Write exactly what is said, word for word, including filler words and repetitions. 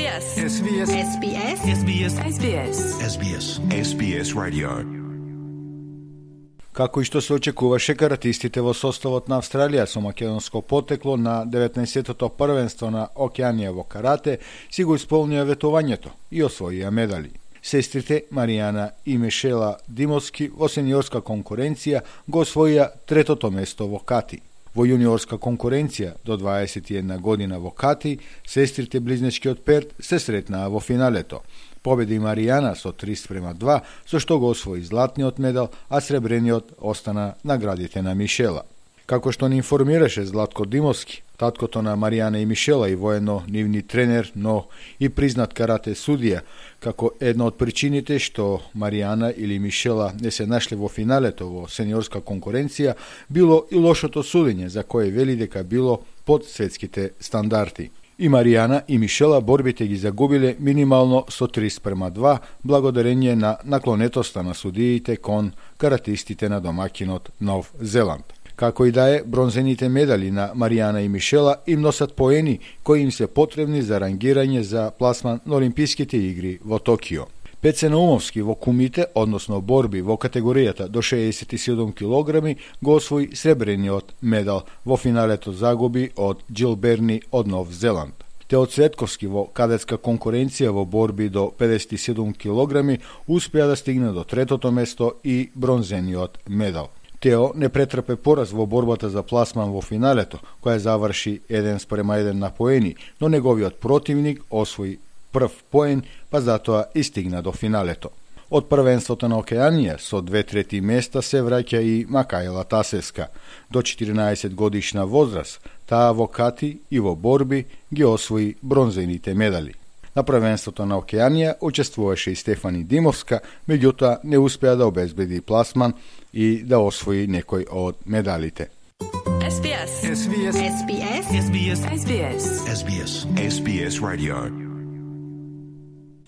би ес. Ес Би Ес. Ес Би Ес. Ес Би Ес. Ес Би Ес. Ес Би Ес. Ес Би Ес Radio. Како и што се очекуваше, каратистите во составот на Австралија со македонско потекло на деветнаесеттото првенство на Океанија во карате си го исполнија ветувањето и освоија медали. Сестрите Маријана и Мишела Димовски во сениорска конкуренција го освоија третото место во кати. Во јуниорска конкуренција до дваесет и една година во кати, сестрите близнечкиот перт се сретнаа во финалето. Победи Маријана со три спрема два, со што го освои златниот медал, а сребрениот остана наградите на Мишела. Како што ни информираше Златко Димовски, таткото на Маријана и Мишела и воено нивни тренер, но и признат карате судија, како една од причините што Маријана или Мишела не се нашле во финалето во сениорска конкуренција, било и лошото судење, за кое вели дека било под светските стандарти. И Маријана и Мишела борбите ги загубиле минимално со три спрема два, благодарение на наклонетоста на судиите кон каратистите на домакинот Нов Зеланд. Како и да е, бронзените медали на Маријана и Мишела им носат поени кои им се потребни за рангирање за пласман на Олимписките игри во Токио. Пеце Наумовски во кумите, односно борби во категоријата до шеесет и седум килограми, го освои сребрениот медал, во финалето загуби од Џил Берни од Нов Зеланд. Тео Цветковски во кадетска конкуренција во борби до педесет и седум килограми успеа да стигне до третото место и бронзениот медал. Тео не претрпе пораз во борбата за пласман во финалето, која заврши еден спрема еден на поени, но неговиот противник освои прв поен, па затоа и стигна до финалето. Од првенството на Океанија со две трети места се враќа и Макаела Тасевска. До четиринаесет годишна возраст, таа во кати и во борби ги освои бронзените медали. На првенството на Океанија учествуваше и Стефани Димовска, меѓутоа не успеа да обезбеди пласман и да освои некој од медалите. Ес Би Ес. Ес Би Ес. Ес Би Ес. Ес Би Ес. Ес Би Ес. Ес Би Ес Radio.